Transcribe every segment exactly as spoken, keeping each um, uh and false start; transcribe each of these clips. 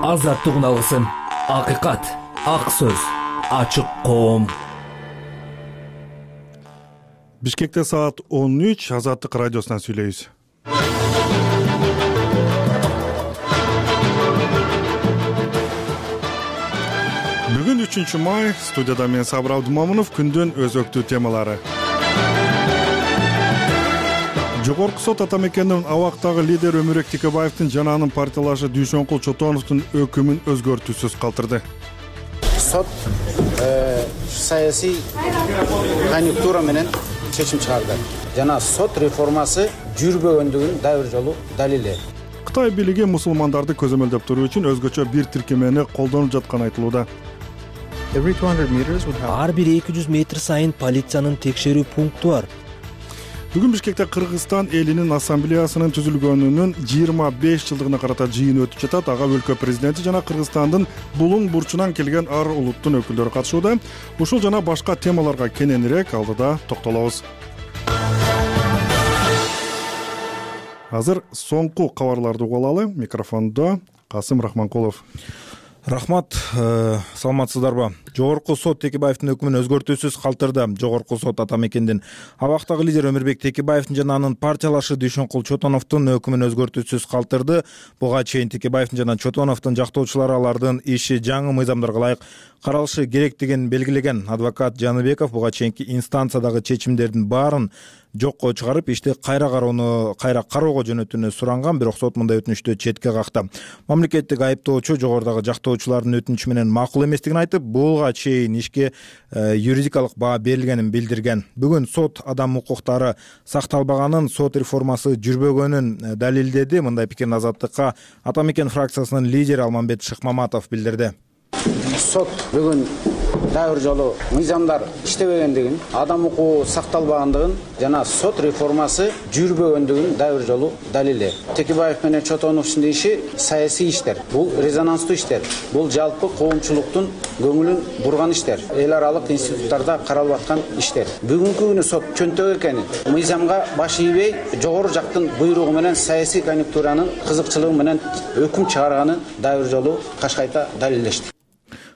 азаттык үналгысын, акыйкат, ак сөз, ачык коом. Бишкекте саат он үч, Азаттык радиосунан сүйлөйбүз. Бүгүн үчүнчү май, студияда мен Сабыр Абдумамунов, күндүн өзөктүү темалары. Жогорку сот ата мекендин абактагы лидер Өмүрбек Текебаевдин жана анын партиялашы Дүйшөнкул Чотоновдун өкүмүн өзгөртүүсүз калтырды. Сот саясий конъюнктура менен чечим чыгарды. Жана сот реформасы жүрбөгөндүгүн дагы бир жолу далилдеди. Кытай бийлиги мусулмандарды көзөмөлдөп туруу үчүн өзгөчө бир тиркемени колдонуп жатканы айтылууда. Ар бир эки жүз метр сайын полициянын текшерүү пункту бар. Бүгүн Бишкекте Кыргызстан элинин ассамблеясынын түзүлгөнүнүн жыйырма беш жылдыгына карата жыйын өтүп жатат. Ага өлкө президенти жана Кыргызстандын булуң бурчунан келген ар улуттун өкүлдөрү катышууда. Ушул жана башка темаларга кененирээк алдыда токтолобуз. Азыр соңку кабарларды угуп алалы. Микрофондо Касым Рахманкулов. Рахмат, саламатсыздарбы? Жогорку сот Текебаевдин өкүмүн өзгөртүүсүз калтырды. Жогорку сот ата мекендин абактагы лидер Өмүрбек Текебаевдин жана анын партиялашы Дүйшөнкул Чотоновдун өкүмүн өзгөртүүсүз калтырды. Буга чейин Текебаевдин жана Чотоновдун жактоочулары алардын иши жаңы мыйзамдарга ылайык каралышы керектигин белгилеген. Адвокат Жаныбеков буга чейинки инстанциядагы чечимдердин баарын жокко чыгарып, ишти кайра кароону кайра кароого жөнөтүүнү суранган, бирок сот мындай өтүнүштү четке какты. Мамлекеттик айыптоочу жогорудагы жактоочулардын өтүнүчү менен макул эместигин айтып, буга чейин ишке юридикалык баа берилгенин билдирген. Бүгүн сот адам укуктары сакталбаганын, сот реформасы жүрбөгөнүн далилдеди. Мындай пикирин Азаттыкка Ата мекен фракциясынын лидери Алмамбет Шыкмаматов билдирди. Сот бүгүн дагы бир жолу мыйзамдар иштебегендигин, адам укугу сакталбагандыгын жана сот реформасы жүрбөгөндүгүн дагы бир жолу далилдеди. Текебаев менен Чотоновдун иши саясий иштер. Бул резонанстуу иштер. Бул жалпы коомчулуктун көңүлүн бурган иштер. Эл аралык институттарда каралып аткан иштер. Бүгүнкү күнү сот чөнтөк экенин, мыйзамга баш ийбей, жогору жактын буйругу менен саясий конъюнктуранын кызыкчылыгы менен өкүм чыгарганын дагы бир жолу кашкайта далилдешти.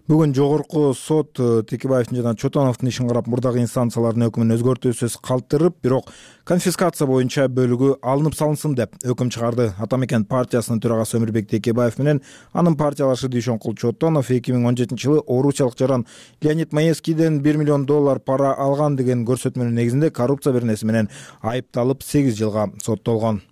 Бүгүн жогорку сот Текебаевдин жана Чотоновдун ишин карап, мурдагы инстанциялардын өкүмүн өзгөртүүсүз калтырып, бирок конфискация боюнча бөлүгү алынып салынсын деп өкүм чыгарды. Ата мекен партиясынын төрагасы Өмүрбек Текебаев менен анын партиялашы Дүйшөнкул Чотонов эки миң он жетинчи жылы орусиялык жаран Леонид Маевскийден бир миллион доллар пара алган деген көрсөтмөнүн негизинде коррупция беренеси менен айыпталып сегиз жылга соттолгон.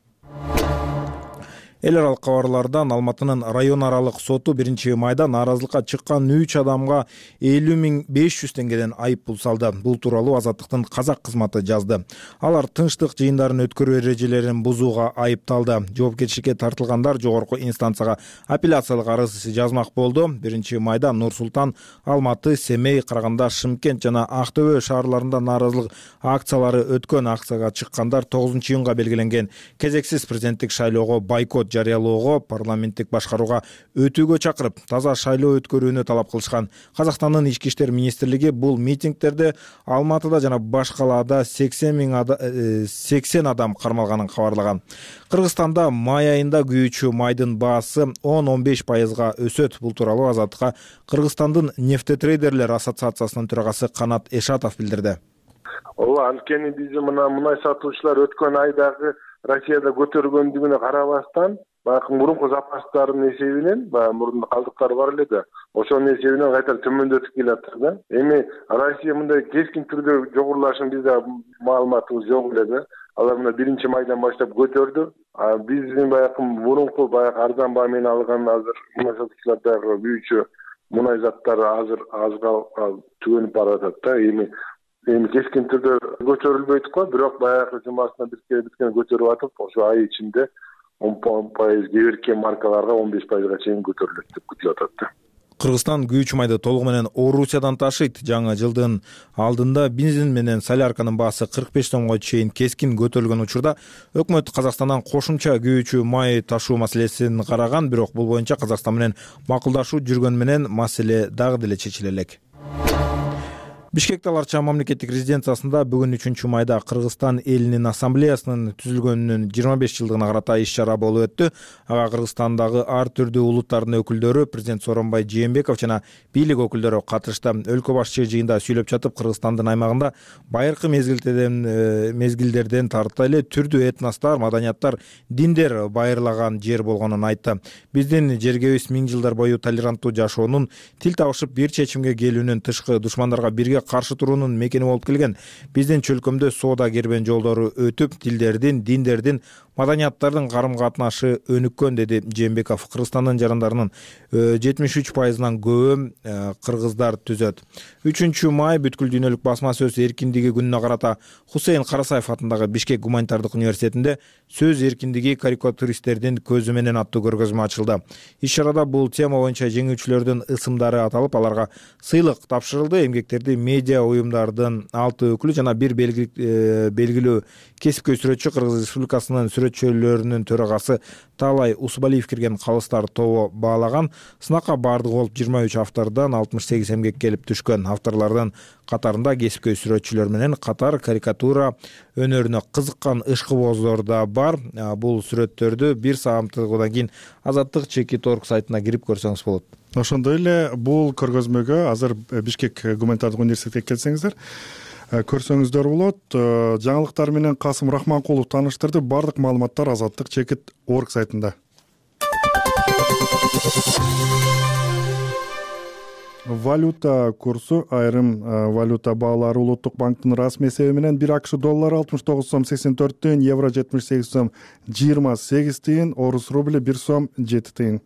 Эл аралык кабарлардан Алматынын район аралык соту биринчи майда нааразылыкка чыккан үч адамга элүү миң беш жүз теңгеден айып пул салды. Бул тууралуу Азаттыктын казак кызматы жазды. Алар тынчтык жыйындарын өткөрүү эрежелерин бузууга айыпталды. Жоопкерчиликке тартылгандар жогорку инстанцияга апелляциялык арыз жазмак болду. биринчи майда Нур Султан, Алматы, Семей, Караганда, Шымкент жана Актөбө шаарларында нааразылык акциялары өткөн. Акцияга чыккандар тогузунчу июнга белгиленген кезексиз президенттик шайлоого бойкот жарыялоого, парламенттик башкарууга өтүүгө чакырып, таза шайлоо өткөрүүнү талап кылышкан. Казакстандын ички иштер министрлиги бул митингдерде Алматыда жана башкаларда сексен адам кармалганын кабарлаган. Кыргызстанда май айында күйүүчү майдын баасы он он беш пайызга өсөт. Бул тууралуу Азаттыкка Кыргызстандын нефтетрейдерлер ассоциациясынын төрагасы Канат Эшатов билдирди. Ооба, анткени биз мына мунай сатуучулар өткөн айдагы Россияда көтөргөндүгүнө карабастан, баягы мурунку запастардын эсебинен, баягы мурун калдыктар бар эле да, ошонун эсебинен кайтара төмөндөтүп келатыр да. Эми Россия мындай кескин түрдө жогорулашын бизде маалыматыбыз жок эле да. Алар мына биринчи майдан баштап көтөрдү. А биздин баягы мурунку баягы арзан баа менен алган азыр мунай сатуучулардагы күйүүчү мунай заттар азыр азга түгөнүп баратат да. Эми Эми кескин түрдө көтөрүлбөйт го, бирок баягы жумасына биткени биткени көтөрүп атып, ошо ай ичинде он пайыз кээ бир маркаларга он беш пайызга чейин көтөрүлөт деп күтүлүп атат да. Кыргызстан күйүүчү майды толугу менен Орусиядан ташыйт. Жаңы жылдын алдында бензин менен солярканын баасы кырк беш сомго чейин кескин көтөрүлгөн учурда өкмөт Казакстандан кошумча күйүүчү май ташуу маселесин караган, бирок бул боюнча Казакстан менен макулдашуу жүргөн менен маселе дагы деле чечиле элек. Бишкек Тал Арча мамлекеттик резиденциясында бүгүн үчүнчү майда Кыргызстан элинин ассамблеясынын түзүлгөнүнүн жыйырма беш жылдыгына карата иш-чара болуп өттү. Ага Кыргызстандагы ар түрдүү улуттардын өкүлдөрү, президент Сооронбай Жээнбеков жана бийлик өкүлдөрү катышты. Өлкө башчы жыйында сүйлөп жатып, Кыргызстандын аймагында байыркы мезгилдерден мезгилдерден тарта эле түрдүү этностор, маданияттар, диндер байырлаган жер болгонун айтты. Биздин жергебиз миң жылдар бою толеранттуу жашоонун, тил табышып бир чечимге келүүнүн, тышкы душмандарга бирге каршы туруунун мекени болуп келген. Биздин чөлкөмдө соода кербен жолдору өтүп, тилдердин, диндердин, маданияттардын карым-катнашы өнүккөн, деди Жээнбеков. Кыргызстандын жарандарынын жетимиш үч пайызынан көбү кыргыздар түзөт. үчүнчү май бүткүл дүйнөлүк басма сөз эркиндиги күнүнө карата Хусейн Карасаев атындагы Бишкек гуманитардык университетинде сөз эркиндиги карикатуристтердин көзү менен аттуу көргөзмө ачылды. Иш-чарада бул тема боюнча жеңүүчүлөрдүн ысымдары аталып, аларга сыйлык тапшырылды. Эмгектерди медиа уюмдардын алты өкүлү жана бир белгилүү кесипкөй сүрөтчү, Кыргыз Республикасынын сүрөтчүлөрүнүн төрагасы Таалай Усубалиев кирген калыстар тобу баалаган. Сынакка баардыгы болуп жыйырма үч автордон алтымыш сегиз эмгек келип түшкөн. Авторлордун катарында кесипкөй сүрөтчүлөр менен катар карикатура өнөрүнө кызыккан ышкыбоздор да бар. Бул сүрөттөрдү бир сааматтыгынан кийин Азаттык чекит точка орг сайтына кирип көрсөңүз болот. Ошондой эле бул көргөзмөгө азыр Бишкек гуманитардык университетке келсеңиздер көрсөңүздөр болот. Жаңылыктар менен Касым Рахманкулов тааныштырды. Бардык маалыматтар Азаттык чекит точка орг сайтында. Валюта курсу, айрым валюта баалары Улуттук банктын расмий эсеби менен бир АКШ доллары алтымыш тогуз сом сексен төрт тыйын, евро жетимиш сегиз сом жыйырма сегиз тыйын, орус рубли бир сом жети тыйын.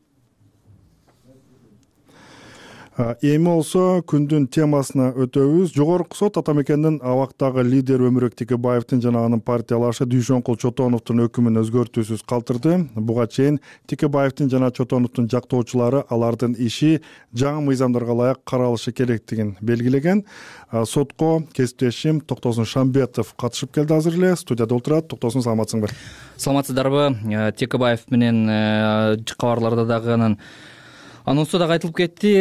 Эми болсо күндүн темасына өтөбүз. Жогорку сот ата мекендин абактагы лидер Өмүрөк Текебаевдин жана анын партиялашы Дүйшөнкул Чотоновдун өкүмүн өзгөртүүсүз калтырды. Буга чейин Текебаевдин жана Чотоновдун жактоочулары алардын иши жаңы мыйзамдарга ылайык каралышы керектигин белгилеген. Сотко кесиптешим Токтосун Шамбетов катышып келди азыр эле. Студияда отурат. Токтосун, саламатсыңбы? Саламатсыздарбы? Текебаев менен кабарларда дагы анан анонсто дагы айтылып кетти.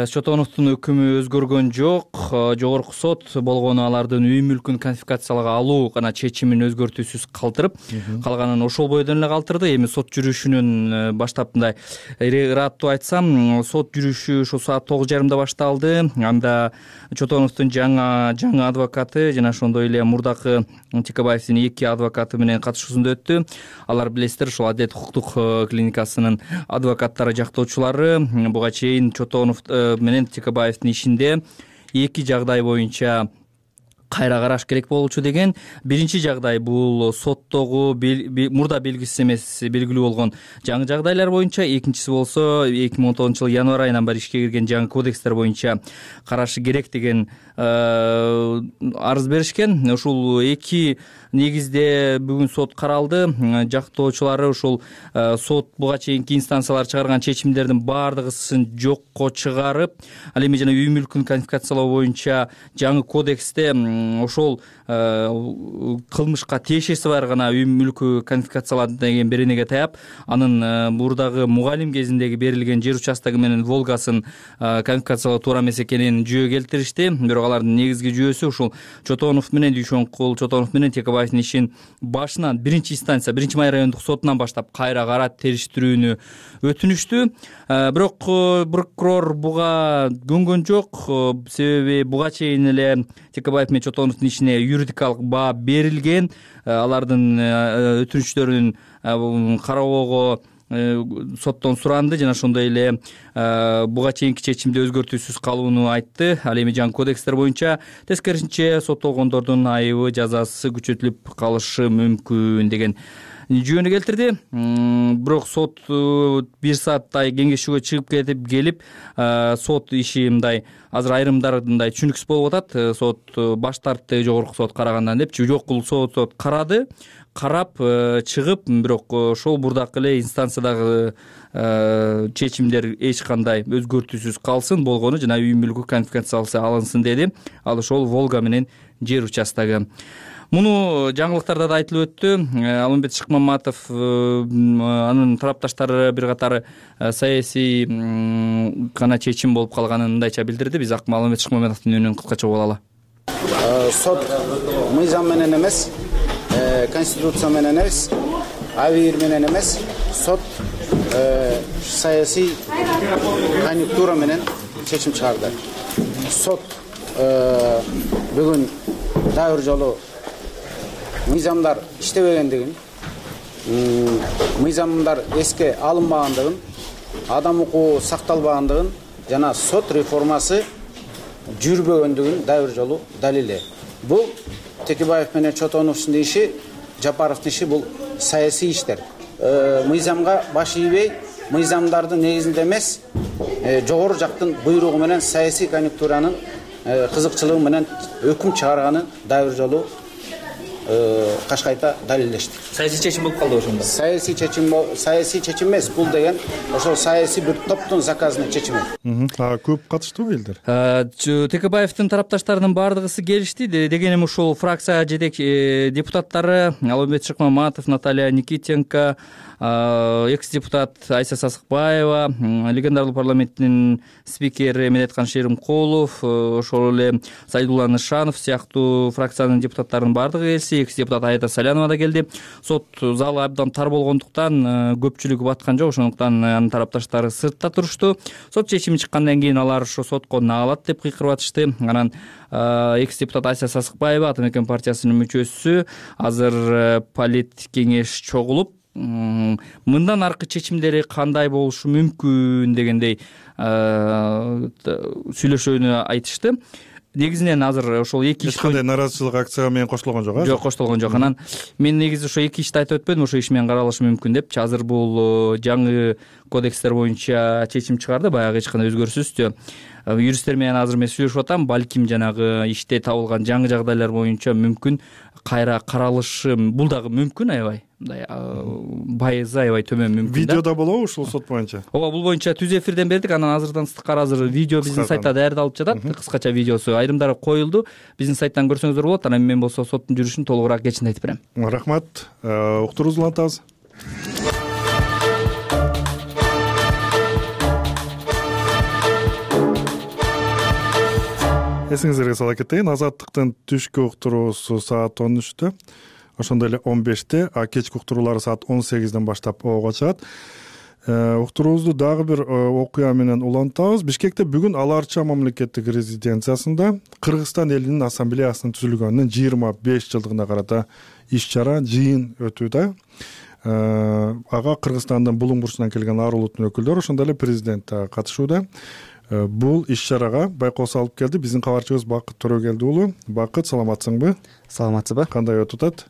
Чотоновдун өкүмү өзгөргөн жок. Жогорку сот болгону алардын үй мүлкүн конфискациялоого алуу гана чечимин өзгөртүүсүз калтырып, калганын ошол бойдон эле калтырды. Эми сот жүрүшүнүн баштап мындай ыраттуу айтсам, сот жүрүшү ошо саат тогуз жарымда башталды. Анда Чотоновдун жаңы жаңы адвокаты жана ошондой эле мурдакы Текебаевдин эки адвокаты менен катышуусунда өттү. Алар билесиздер, ошол Адилет укуктук клиникасынын адвокаттары, жактоочулары. Буга чейин Чотонов менен Текебаевдин ишинде эки жагдай боюнча кайра караш керек болчу деген. Биринчи жагдай бул соттогу мурда белгисиз эмес белгилүү болгон жаңы жагдайлар боюнча, экинчиси болсо эки миң он тогузунчу жылы январь айынан бери ишке кирген жаңы кодекстер боюнча карашы керек деген арыз беришкен. Ушул эки негизде бүгүн сот каралды. Жактоочулары ушул сот буга чейинки инстанциялар чыгарган чечимдердин баардыгысын жокко чыгарып, ал эми жана үй мүлкүн конфискациялоо боюнча жаңы кодексте ошол кылмышка тиешеси бар гана үй мүлкү конфискацияланды деген беренеге таяп, анын мурдагы мугалим кезиндеги берилген жер участогу менен Волгасын конфискациялоо туура эмес экенин жүйө келтиришти. Бирок алардын негизги жүйөсү ушул Чотонов менен Дүйшөнкул Чотонов менен Текебаевдин ишин башынан биринчи инстанция биринчи май райондук сотунан баштап кайра карап териштирүүнү өтүнүштү. Бирок прокурор буга көнгөн жок. Себеби буга чейин эле Текебаев менен Чотоновдун ишине юридикалык баа берилген. Алардын өтүнүчтөрүн кароого соттон суранды жана ошондой эле буга чейинки чечимди өзгөртүүсүз калууну айтты. Ал эми жаңы кодекстер боюнча тескерисинче соттолгондордун айыбы жазасы күчөтүлүп калышы мүмкүн деген жүйөнү келтирди. Бирок сот бир сааттай кеңешүүгө чыгып кетип келип, сот иши мындай азыр айрымдары мындай түшүнүксүз болуп атат. Сот баш тартты жогорку сот карагандан депчи. Жок, бул сот карады, карап чыгып, бирок ошол мурдакы эле инстанциядагы чечимдер эч кандай өзгөртүүсүз калсын, болгону жана үй мүлкү конфискацияланса алынсын деди. Ал ошол Волга менен жер участогу. Муну жаңылыктарда да айтылып өттү. Алмамбет Шыкмаматов анын тарапташтары бир катар саясий гана чечим болуп калганын мындайча билдирди. Биз Алмамбет Шыкмаматовдун үнүн кыскача угуп алалы. Сот мыйзам менен эмес, конституция менен эмес, абийир менен эмес, сот саясий конъюнктура менен чечим чыгарды. Сот бүгүн дагы бир жолу мыйзамдар иштебегендигин, мыйзамдар эске алынбагандыгын, адам укугу сакталбагандыгын жана сот реформасы жүрбөгөндүгүн дагы бир жолу далили. Бул Текебаев менен Чотоновдун иши, Жапаровдун иши бул саясий иштер. Мыйзамга баш ийбей, мыйзамдардын негизинде эмес, жогору жактын буйругу менен саясий конъюнктуранын кызыкчылыгы менен өкүм чыгарганы дагы бир жолу кашкайта далилдешти. Саясий чечим болуп калды ошондо. Саясий чечим саясий чечим эмес, бул деген ошол саясий бир топтун заказына чечими. А көп катыштыбы элдер? Текебаевдин тарапташтарынын бардыгысы келишти. Дегеним ушул фракция жетек депутаттары Алымбет Шыкмаматов, Наталья Никитенко, экс-депутат Айса Сасыкбаева, легендарлуу парламенттин спикери Медеткан Шеримкулов, ошол эле Сайдулла Нышанов сыяктуу фракциянын депутаттарынын бардыгы келси, экс-депутат Аида Салянова да келди. Сот залы абдан тар болгондуктан көпчүлүгү баткан жок, ошондуктан анын тарапташтары сыртта турушту. Сот чечими чыккандан кийин алар ошо сотко наалат деп кыйкырып атышты. Анан экс-депутат Айса Сасыкбаева, Ата Мекен партиясынын мүчөсү, азыр полит кеңеш чогулуп, мындан аркы чечимдери кандай болушу мүмкүн дегендей сүйлөшүүнү айтышты. Негизинен азыр ошол эки иш эч кандай наразычылык акцияга менен кошулгон жок, а? Жок, кошулгон жок. Анан мен негизи ошо эки ишти айтып өтпөдүм, ошо иш менен каралышы мүмкүн депчи. Азыр бул жаңы кодекстер боюнча чечим чыгарды, баягы эч кандай өзгөрүүсүздү. Юристтер менен азыр мен сүйлөшүп атам, балким жанагы иште табылган жаңы жагдайлар боюнча мүмкүн кайра каралышы, бул дагы мүмкүн аябай. Мындай байызы аябай төмөн мүмкүн. Видеодо болобу ушул сот боюнча? Ооба, бул боюнча түз эфирден бердик, анан азырдан сыткар азыр видео биздин сайтта даярдалып жатат, кыскача видеосу айрымдары коюлду. Биздин сайттан көрсөңүздөр болот. Анан мен болсо соттун жүрүшүн толугураак кечинде айтып берем. Рахмат. Уктуруубузду улантабыз. Эсиңиздерге сала кетейин, Азаттыктын түшкү уктуруусу саат он үчтө, ошондой эле он беште, а кечки уктуруулары саат он сегизден баштап ого чыгат. Уктуруубузду дагы бир окуя менен улантабыз. Бишкекте бүгүн Ала Арча мамлекеттик резиденциясында Кыргызстан элинин ассамблеясынын түзүлгөнүнүн жыйырма беш жылдыгына карата иш-чара, жыйын өтүүдө. Ага Кыргызстандын булуң бурчунан келген ар улуттун өкүлдөрү, ошондой эле президент катышууда. Бул иш-чарага байкоосу алып келди биздин кабарчыбыз Бакыт Төрөгелди уулу. Бакыт, саламатсыңбы? Саламатсызбы? Кандай өтүп атат?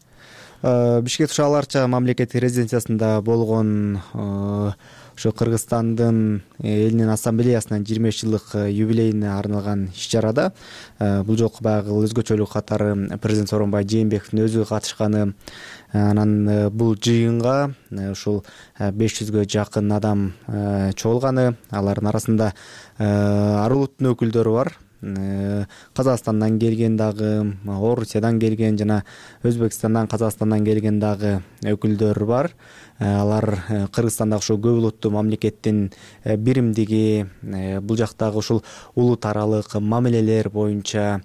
Бишкекте Ала Арча мамлекеттик резиденциясында болгон ошо Кыргызстандын элинин ассамблеясынын жыйырма беш жылдык юбилейине арналган иш-чарада бул жолку баягы өзгөчөлүк катары президент Сооронбай Жээнбековдун өзү катышканы, анан бул жыйынга ушул беш жүзгө жакын адам чогулганы, алардын арасында ар улуттун өкүлдөрү бар. Казакстандан келген дагы, Орусиядан келген жана Өзбекстандан, Казакстандан келген дагы өкүлдөр бар. Алар Кыргызстандагы ушул көп улуттуу мамлекеттин биримдиги, бул жактагы ушул улут аралык мамилелер боюнча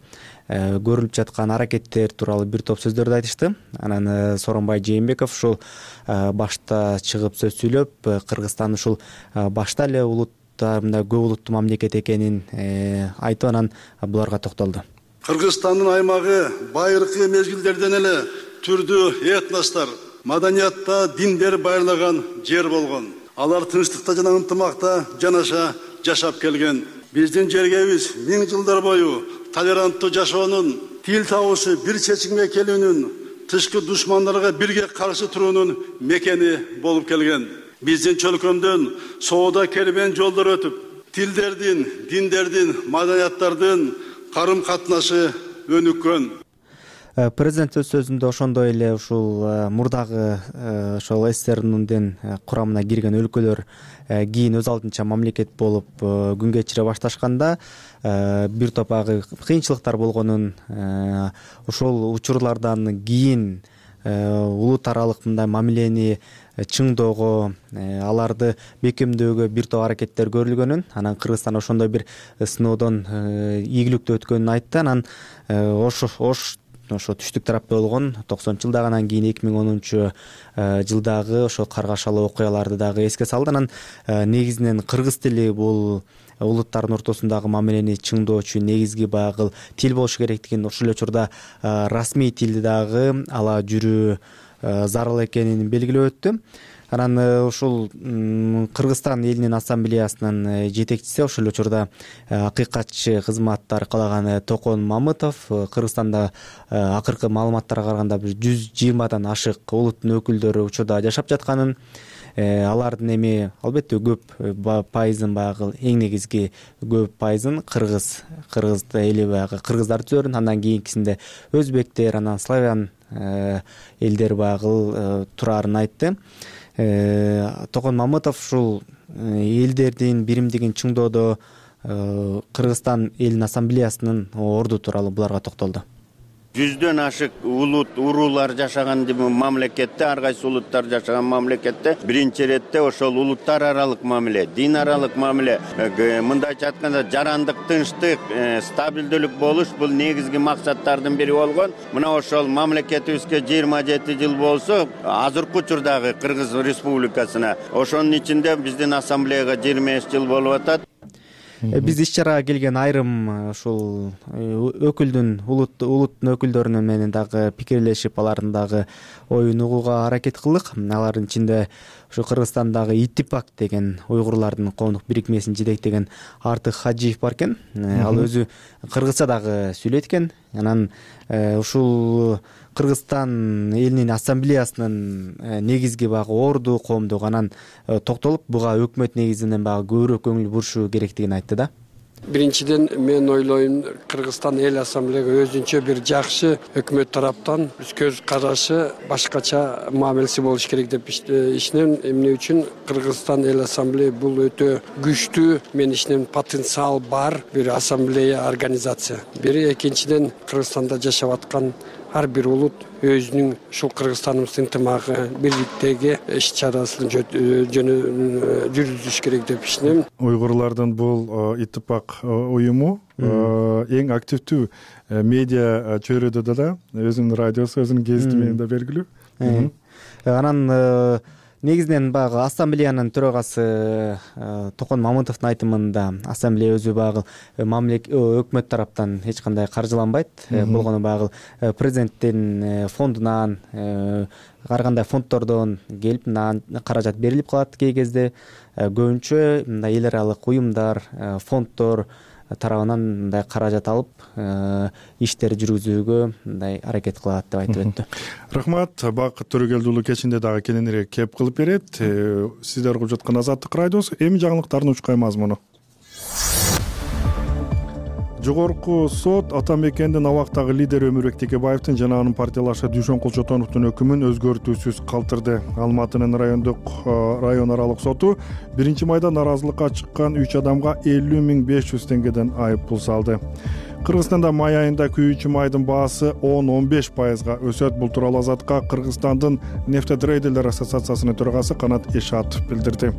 көрүлүп жаткан аракеттер тууралуу бир топ сөздөрдү айтышты. Анан Сооронбай Жээнбеков ушул башта чыгып сөз сүйлөп, Кыргызстан ушул башта эле улут мындай көп улуттуу мамлекет экенин айтып, анан буларга токтолду. Кыргызстандын аймагы байыркы мезгилдерден эле түрдүү этностор, маданиятта диндер байырлаган жер болгон. Алар тынчтыкта жана ынтымакта жанаша жашап келген. Биздин жергебиз миң жылдар бою толеранттуу жашоонун, тил табуусу бир чечимге келүүнүн, тышкы душмандарга бирге каршы туруунун мекени болуп келген. Биздин чөлкөмдөн соода кербен жолдор өтүп, тилдердин, диндердин, маданияттардын карым катнашы өнүккөн. Президент өз сөзүндө ошондой эле ушул мурдагы ошол СССРдин курамына кирген өлкөлөр кийин өз алдынча мамлекет болуп күн кечире башташканда бир топ агы кыйынчылыктар болгонун, ошол учурлардан кийин улут аралык мындай мамилени чыңдоого, аларды бекемдөөгө бир топ аракеттер көрүлгөнүн, анан Кыргызстан ошондой бир сыноодон ийгиликтүү өткөнүн айтты. Анан ошо ош ошо түштүк тарапта болгон токсонунчу жылдагы, анан кийин эки миң онунчу жылдагы ошо каргашалуу окуяларды дагы эске салды. Анан негизинен кыргыз тили бул улуттардын ортосундагы мамилени чыңдоочу негизги баягы тил болушу керектигин, ошол эле учурда расмий тилди дагы ала жүрүү зарыл экенин белгилеп өттү. Анан ушул Кыргызстан элинин ассамблеясынын жетекчиси, ошол эле учурда акыйкатчы кызматты аркалаган Токон Мамытов Кыргызстанда акыркы маалыматтарга караганда бир жүз жыйырмадан ашык улуттун өкүлдөрү учурда жашап жатканын, алардын эми албетте көп пайызын баягы эң негизги көп пайызын кыргыз кыргыз эли баягы кыргыздар түзөрүн, андан кийинкисинде өзбектер, анан славян элдер баягы турарын айтты. Токон Мамытов ушул элдердин биримдигин чыңдоодо Кыргызстан элинин ассамблеясынын орду тууралуу буларга токтолду. Жүздөн ашык улут уруулар жашаган мамлекетте, ар кайсы улуттар жашаган мамлекетте биринчи иретте ошол улуттар аралык мамиле, дин аралык мамиле, мындайча айтканда жарандык, тынчтык, стабилдүүлүк болуш бул негизги максаттардын бири болгон. Мына ошол мамлекетибизге жыйырма жети жыл болсо, азыркы учурдагы Кыргыз Республикасына, ошонун ичинде биздин ассамблеяга жыйырма беш жыл болуп атат. Биз иш чарага келген айрым ушул өкүлдүн улут улуттун өкүлдөрүнүн менен дагы пикирлешип, алардын дагы оюн угууга аракет кылдык. Алардын ичинде ушу Кыргызстандагы Иттипак деген уйгурлардын коомдук бирикмесин жетектеген Артык Хаджиев бар экен. Ал өзү кыргызча дагы сүйлөйт экен. Анан ушул Кыргызстан элинин ассамблеясынын негизги баягы орду коомдугу анан токтолуп, буга өкмөт негизинен баягы көбүрөөк көңүл бурушу керектигин айтты да. Биринчиден мен ойлойм, Кыргызстан эл ассамблеяга өзүнчө бир жакшы өкмөт тараптан көз карашы башкача мамилеси болуш керек деп ишенем. Эмне үчүн Кыргызстан эл ассамблея бул өтө күчтүү, мен ишенем потенциал бар бир ассамблея организация. Бири, экинчиден Кыргызстанда жашап аткан ар бир улут өзүнүн ушул Кыргызстаныбыздын ынтымагы, бирликтеги иш чарасын жүргүзүш керек деп ишенем. Уйгурлардын бул Иттипак уюму эң активдүү медиа чөйрөдө да, өзүнүн радиосу, өзүнүн гезити менен да белгилүү. Анан негизинен баягы ассамблеянын төрагасы Токон Мамытовдун айтымында ассамблея өзү баягы өкмөт тараптан эч кандай каржыланбайт, болгону баягы президенттин фондунан, ар кандай фонддордон келип каражат берилип калат кей кезде. Көбүнчө мындай эл аралык уюмдар, фонддор тарабынан мындай каражат алып иштер жүргүзүүгө мындай аракет кылат деп айтып өттү. Рахмат. Бакыт Төрөгелдиұлы кечинде дагы кененирээк кеп кылып берет. Сиздер угуп жаткан Азаттык радиосу. Эми жаңылыктардын учкай мазмуну. Жогорку сот ата мекендин абактагы лидери Өмүрбек Текебаевдин жана анын партиялашы Дүйшөнкул Чотоновдун өкүмүн өзгөртүүсүз калтырды. Алматынын райондук район аралык соту биринчи майда наразылыкка чыккан үч адамга элүү миң беш жүз теңгеден айып пул салды. Кыргызстанда май айында күйүүчү майдын баасы он он беш пайызга өсөт. Бул тууралуу Азатка Кыргызстандын нефтетрейдерлер ассоциациясынын төрагасы Канат Эшатов билдирди.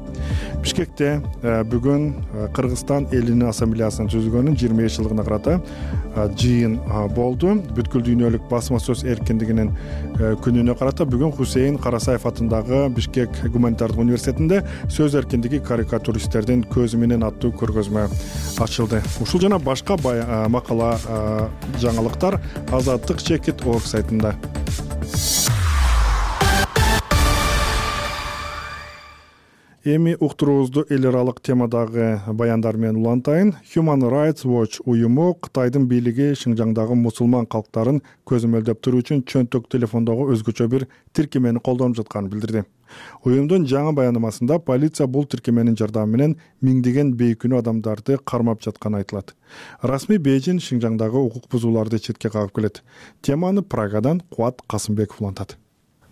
Бишкекте бүгүн Кыргызстан элинин ассамблеясынын түзүлгөнүнүн жыйырма беш жылдыгына карата жыйын болду. Бүткүл дүйнөлүк басма сөз эркиндигинин күнүнө карата бүгүн Хусейин Карасаев атындагы Бишкек гуманитардык университетинде сөз эркиндиги карикатуристтердин көзү менен аттуу көргөзмө ачылды. Ушул жана башка макала жаңылыктар Азаттык чекит орг сайтында. Эми уктуруубузду эл аралык темадагы баяндар менен улантайын. Human Rights Watch уюму Кытайдын бийлиги Шинжаңдагы мусулман калктарын көзөмөлдөп туруу үчүн чөнтөк телефондогу өзгөчө бир тиркемени колдонуп жатканын билдирди. Уюмдун жаңы баянамасында полиция бул тиркеменин жардамы менен миңдеген бейкүнөө адамдарды кармап жатканы айтылат. Расмий Бейжин Шинжаңдагы укук бузууларды четке кагып келет. Теманы Прагадан Кубат Касымбеков улантат.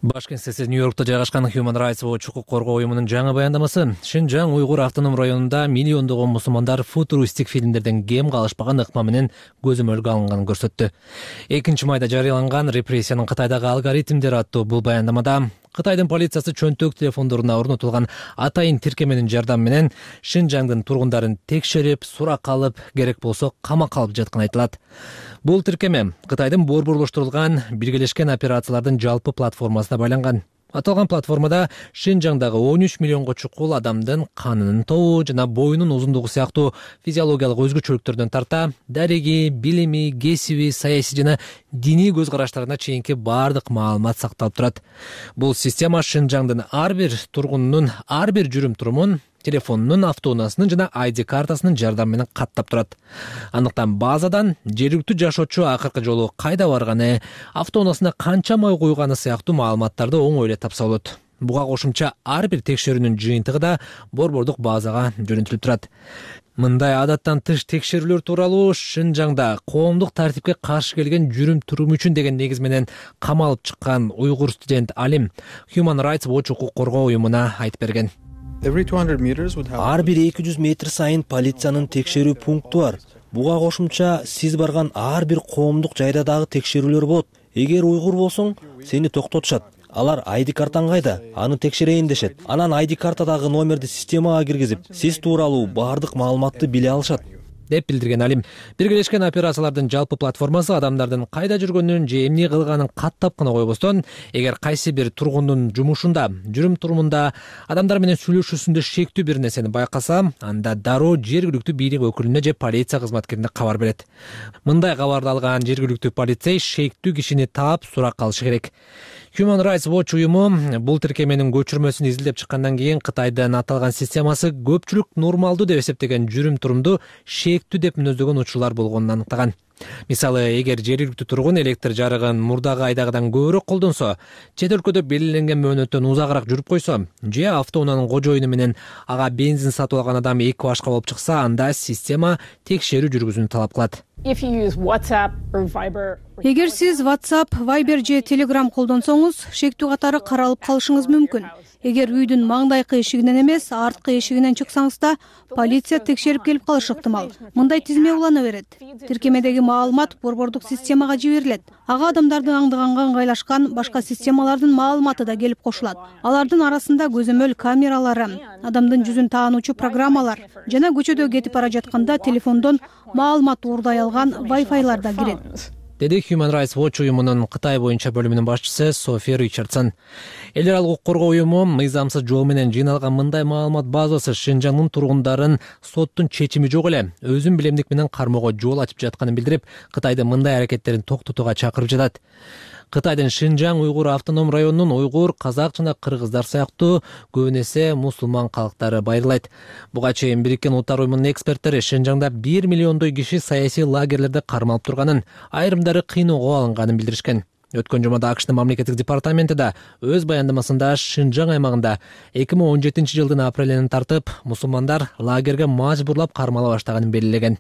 Баш кеңсеси Нью-Йоркто жайгашкан Human Rights Watch укук коргоо уюмунун жаңы баяндамасы Шинжаң уйгур автоном районунда миллиондогон мусулмандар футуристик фильмдерден кем калышпаган ыкма менен көзөмөлгө алынганын көрсөттү. экинчи майда жарыяланган репрессиянын Кытайдагы алгоритмдери аттуу бул баяндамада Кытайдын полициясы чөнтөк телефондоруна орнотулган атайын тиркеменин жардамы менен Шинжаңдын тургундарын текшерип, сурак алып, керек болсо камакка алып жатканы айтылат. Бул тиркеме Кытайдын борборлоштурулган биргелешкен операциялардын жалпы платформасына байланган. Аталган платформада Шинжаңдагы он үч миллионго чукул адамдын канынын тобу жана боюнун узундугу сыяктуу физиологиялык өзгөчөлүктөрдөн тарта дареги, билими, кесиби, саясий жана диний көз караштарына чейинки бардык маалымат сакталып турат. Бул система Шинжаңдын ар бир тургунунун ар бир жүрүм-турумун телефонунун, автоунаасынын жана ай ди картасынын жардамы менен каттап турат. Андыктан базадан жергиликтүү жашоочу акыркы жолу кайда барганы, автоунаасына канча май куйганы сыяктуу маалыматтарды оңой эле тапса болот. Буга кошумча ар бир текшерүүнүн жыйынтыгы да борбордук базага жөнөтүлүп турат. Мындай адаттан тыш текшерүүлөр тууралуу Шинжаңда коомдук тартипке каршы келген жүрүм-турум үчүн деген негиз менен камалып чыккан уйгур студент Алим Human Rights Watch укук коргоо уюмуна айтып берген. Ар бир эки жүз метр сайын полициянын текшерүү пункту бар. Буга кошумча сиз барган ар бир коомдук жайда дагы текшерүүлөр болот. Эгер уйгур болсоң, сени токтотушат. Алар ай ди картаң кайда? Аны текшерейин дешет. Анан ай ди картадагы номерди системага киргизип, сиз тууралуу бардык маалыматты биле алышат, деп билдирген Алим. Биргелешкен операциялардын жалпы платформасы адамдардын кайда жүргөнүн же эмне кылганын каттап гана койбостон, эгер кайсы бир тургундун жумушунда, жүрүм-турумунда, адамдар менен сүйлөшүүсүндө шектүү бир нерсени байкаса, анда дароо жергиликтүү бийлик өкүлүнө же полиция кызматкерине кабар берет. Мындай кабарды алган жергиликтүү полицей шектүү кишини таап сурак алышы керек. Human Rights Watch уюму бул тиркеменин көчүрмөсүн изилдеп чыккандан кийин Кытайдын аталган системасы көпчүлүк нормалдуу деп эсептеген жүрүм-турумду шектүү деп мүнөздөгөн учурлар болгонун аныктаган. Мисалы, эгер жергиликтүү тургун электр жарыгын мурдагы айдагыдан көбүрөөк колдонсо, чет өлкөдө белгиленген мөөнөттөн узагыраак жүрүп койсо, же автоунаанын кожоюну менен ага бензин сатып алган адам эки башка болуп чыкса, анда система текшерүү жүргүзүүнү талап кылат. Эгер сиз WhatsApp, Viber же Telegram колдонсоңуз, шектүү катары каралып калышыңыз мүмкүн. Эгер үйдүн маңдайкы эшигинен эмес, арткы эшигинен чыксаңыз да, полиция текшерип келип калышы ыктымал. Мындай тизме улана берет. Тиркемедеги маалымат борбордук системага жиберилет. Ага адамдардын аңдыганга ыңгайлашкан башка системалардын маалыматы да келип кошулат. Алардын арасында көзөмөл камералары, адамдын жүзүн таануучу программалар жана көчөдө кетип бара жатканда телефондон маалымат уурдай алган Wi-Fi'лар да кирет, деди Human Rights Watch уюмунун Кытай боюнча бөлүмүнүн башчысы Софи Ричардсон. Эл аралык укук коргоо уюму мыйзамсыз жол менен жыйналган мындай маалымат базасы Шинжаңдын тургундарын соттун чечими жок эле өзүн билемдик менен кармоого жол ачып жатканын билдирип, Кытайдын мындай аракеттерин токтотууга чакырып жатат. Кытайдын Шинжаң уйгур автоном районунун уйгур, казак жана кыргыздар сыяктуу көбүн эсе мусулман калктары байырылайт. Буга чейин Бириккен Улуттар уюмунун эксперттери Шинжаңда бир миллиондой киши саясий лагерлерде кармалып турганын, айрымдары кыйноого алынганын билдиришкен. Өткөн жумада АКШтын мамлекеттик департаменти да өз баяндамасында Шинжаң аймагында эки миң он жетинчи жылдын апрелинен тартып мусулмандар лагерге мажбурлап кармала баштаганын белгилеген.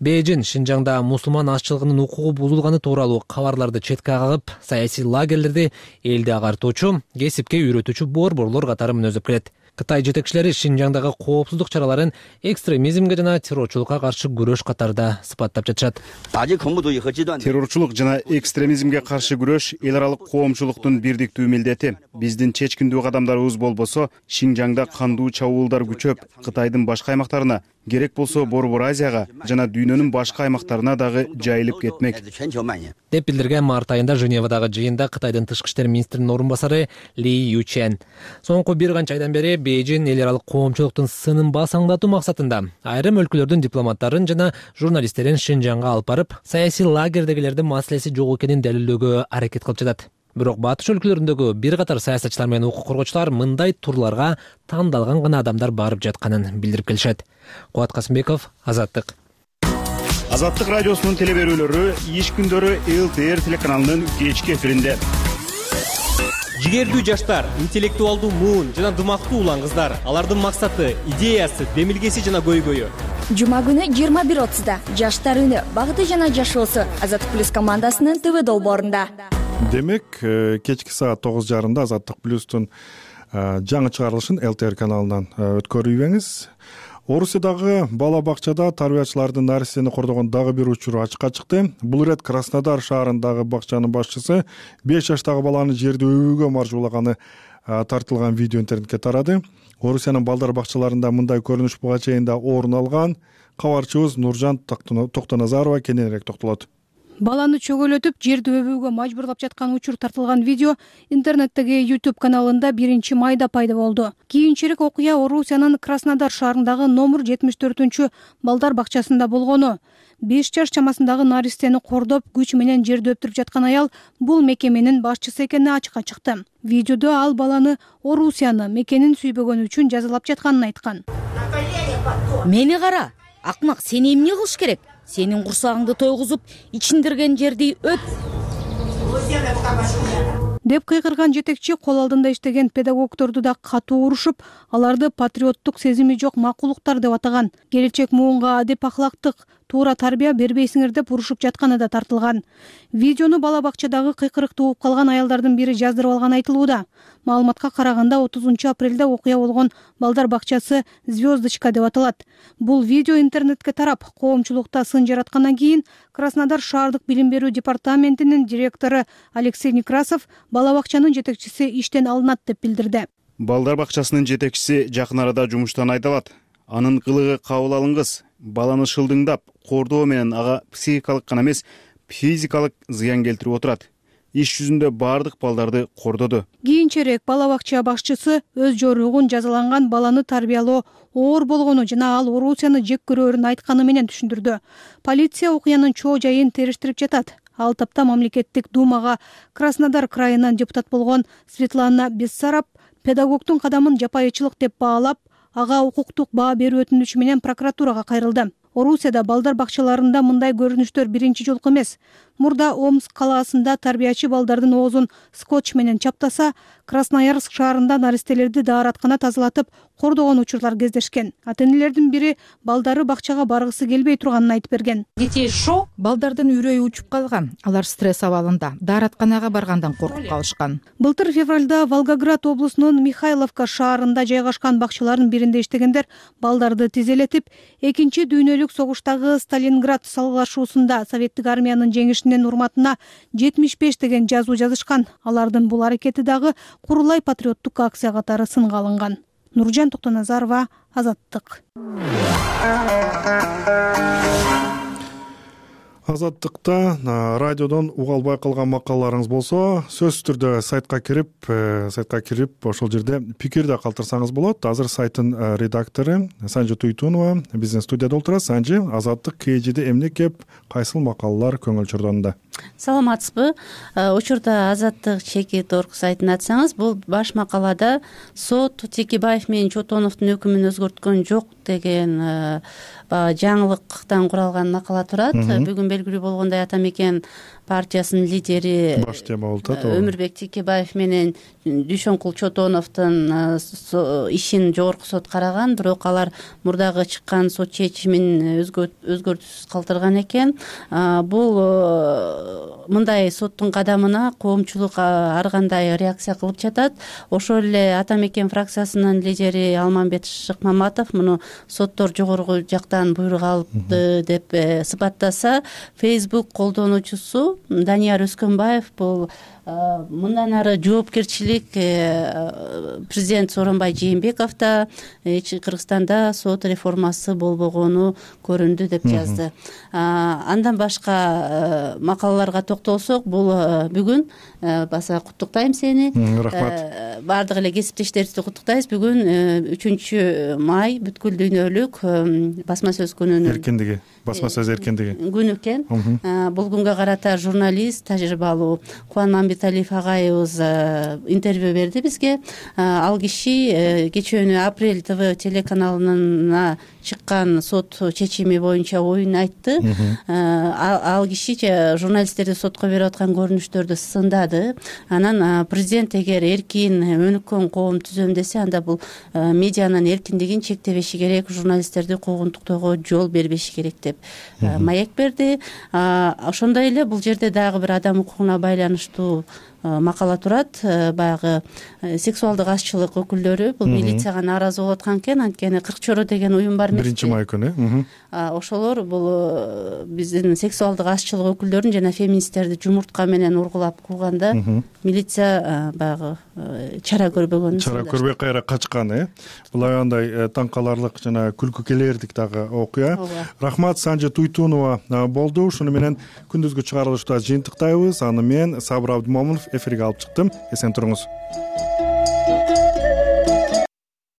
Бейжин Шинжаңда мусулман азчылыгынын укугу бузулганы тууралуу кабарларды четке кагып, саясий лагерлерди элди агартуучу, кесипке үйрөтүүчү борборлор катары мүнөздөп келет. Кытай жетекчилери Шинжаңдагы коопсуздук чараларын экстремизмге жана террорчулукка каршы күрөш катарында сыпаттап жатышат. Террорчулук жана экстремизмге каршы күрөш эл аралык коомчулуктун бирдиктүү милдети. Биздин чечкиндүү кадамдарыбыз болбосо, Шинжаңда кандуу чабуулдар күчөп, Кытайдын башка аймактарына, керек болсо Борбор Азияга жана дүйнөнүн башка аймактарына дагы жайылып кетмек, деп билдирген март айында Женевадагы жыйында Кытайдын тышкы иштер министринин орун басары Ли Ючен. Соңку бир канча айдан бери Бейжин эл аралык коомчулуктун сынын басаңдатуу максатында айрым өлкөлөрдүн дипломаттарын жана журналисттерин Шинжаңга алып барып, саясий лагердегилердин маселеси жок экенин далилдөөгө аракет кылып жатат. Бирок батыш өлкөлөрүндөгү бир катар саясатчылар менен укук коргоочулар мындай турларга тандалган гана адамдар барып жатканын билдирип келишет. Кубат Касымбеков, Азаттык. Азаттык радиосунун телеберүүлөрү иш күндөрү эл тэ эр телеканалынын кечки эфиринде. Жигердүү жаштар, интеллектуалдуу муун жана дымактуу улан кыздар, алардын максаты, идеясы, демилгеси жана көйгөйү. Жума күнү жыйырма бир отузда жаштар үнү, багыты жана жашоосу Азаттык плюс командасынын тэ вэ долбоорунда. демек кечки саат тогуз жарымда Азаттык плюстун жаңы чыгарылышын эл тэ эр каналынан өткөрүбеңиз. Орусиядагы бала бакчада тарбиячылардын наристени кордогон дагы бир учуру ачыкка чыкты. Бул ирет Краснодар шаарындагы бакчанын башчысы беш жаштагы баланы жерде өбүүгө маржуулаганы тартылган видео интернетке тарады. Орусиянын балдар бакчаларында мындай көрүнүш буга чейин да орун алган. Кабарчыбыз Нуржан Токтоназарова кененирээк токтолот. Баланы чөгөлөтүп, жерди өбүүгө мажбурлап жаткан учур тартылган видео интернеттеги YouTube каналында биринчи майда пайда болду. Кийинчерээк окуя Орусиянын Краснодар шаарындагы номер жетимиш төртүнчү балдар бакчасында болгону. беш жаш чамасындагы наристени кордоп, күч менен жерди өптүрүп жаткан аял бул мекеменин башчысы экени ачыкка чыкты. Видеодо ал баланы Орусияны, мекенин сүйбөгөнү үчүн жазалап жатканын айткан. Мени кара, акмак, сени эмне кылыш керек? Сенин курсагыңды тойгузуп, ичиндирген жерди өп деп кыйкырган жетекчи кол алдында иштеген педагогдорду да катуу урушуп, аларды патриоттук сезими жок макулуктар деп атаган. Келечек муунга адеп ахлактык туура тарбия бербейсиңер деп урушуп жатканы да тартылган. Видеону бала бакчадагы кыйкырыкты угуп калган аялдардын бири жаздырып алганы айтылууда. Маалыматка караганда отузунчу апрелде окуя болгон балдар бакчасы Звездочка деп аталат. Бул видео интернетке тарап, коомчулукта сын жараткандан кийин Краснодар шаардык билим берүү департаментинин директору Алексей Некрасов бала бакчанын жетекчиси иштен алынат деп билдирди. Балдар бакчасынын жетекчиси жакын арада жумуштан айдалат. Анын кылыгы кабыл алынгыс. Баланы шылдыңдап, кордоо менен ага психикалык гана эмес, физикалык зыян келтирип отурат. Иш жүзүндө бардык балдарды кордоду. Кийинчерээк бала бакча башчысы өз жоругун жазаланган баланы тарбиялоо оор болгону жана ал Орусияны жек көрөрүн айтканы менен түшүндүрдү. Полиция окуянын чоо жайын териштирип жатат. Ал тапта мамлекеттик думага Краснодар крайынан депутат болгон Светлана Бессараб педагогдун кадамын жапайычылык деп баалап, ага укуктук баа берүү өтүнүчү менен прокуратурага кайрылды. Орусияда балдар бакчаларында мындай көрүнүштөр биринчи жолку эмес. Мурда Омск калаасында тарбиячы балдардын оозун скотч менен чаптаса, Красноярск шаарында наристелерди даараткана тазалатып кордогон учурлар кездешкен. Ата-энелердин бири балдары бакчага баргысы келбей турганын айтып берген. Детей шок, балдардын үрөйү учуп калган. Алар стресс абалында, дааратканага баргандан коркуп калышкан. Былтыр февралда Волгоград облусунун Михайловка шаарында жайгашкан бакчалардын биринде иштегендер балдарды тизелетип, экинчи дүйнөлүк согуштагы Сталинград салгылашуусунда советтик армиянын жеңишинин урматына жетимиш беш деген жазуу жазышкан. Алардын бул аракети дагы Курулай патриоттук акция катары сынга алынган. Нуржан Токтоназарова, Азаттык. Азаттыкта радиодон уга албай калган макалаларыңыз болсо, сөзсүз түрдө сайтка кирип, сайтка кирип ошол жерде пикир да калтырсаңыз болот. Азыр сайттын редактору Санжы Туйтунова биздин студияда отурат. Санжы, Азаттык кежиде эмне кеп, кайсыл макалалар көңүл чордонуда? Саламатсызбы? Учурда Азаттык чекит орг сайтын ачсаңыз, бул баш макалада сот Текебаев менен Чотоновдун өкүмүн өзгөрткөн жок деген жаңылыктан куралган макала турат. Бүгүн белгилүү болгондой Ата Мекен партиясынын лидери баш тема болуп атат. Өмүрбек Текебаев менен Дүйшөнкул Чотоновдун ишин жогорку сот караган, бирок алар мурдагы чыккан сот чечимин өзгөртүүсүз калтырган экен. Бул мындай соттун кадамына коомчулук ар кандай реакция кылып жатат. Ошол эле Ата Мекен фракциясынын лидери Алмамбет Шыкмаматов муну соттор жогорку жактан буйрук алды деп сыпаттаса, Facebook колдонуучусу Данияр Өскөнбаев бул мындан ары жоопкерчилик президент Сооронбай Жээнбековдо Кыргызстанда сот реформасы болбогону көрүндү деп жазды. Андан башка макалаларга токтолсок, бул бүгүн баса куттуктайм сени. Рахмат. Бардык эле кесиптештерибизди куттуктайбыз. Бүгүн үчүнчү май бүткүл дүйнөлүк басма сөз күнүнүн эркиндиги, басма сөз эркиндиги күнү экен. Бул күнгө карата журналист, тажрыйбалуу Кубан Мамбеталиев агайыбыз интервью берди бизге. Ал киши кечээ Апрель ТВ телеканалына чыккан сот чечими боюнча оюн айтты. Ал киши журналисттерди сотко берип аткан көрүнүштөрдү сындады. Анан президент эгер эркин өнүккөн коом түзөм десе, анда бул медианын эркиндигин чектебеши керек, журналисттерди куугунтуктоого жол бербеши керек деп маек берди. Ошондой эле бул жерде дагы бир адам укугуна байланыштуу макала турат. Баягы сексуалдык азчылык өкүлдөрү бул милицияга нааразы болуп аткан экен, анткени кырк чоро деген уюм бар эмеспи, биринчи май күнү. Ошолор бул биздин сексуалдык азчылык өкүлдөрүн жана феминисттерди жумуртка менен ургулап кууганда милиция баягы чара көрбөгөн, чара көрбөй кайра качкан. э Бул аябай таң каларлык жана күлкү келэрдик дагы окуя. Рахмат, Санжы Туйтунова болду. Ушуну менен күндүзгү чыгарылышта жыйынтыктайбыз. Аны мен Сабыр Абдымомунов эфирге алып чыктым. Эсен туруңуз.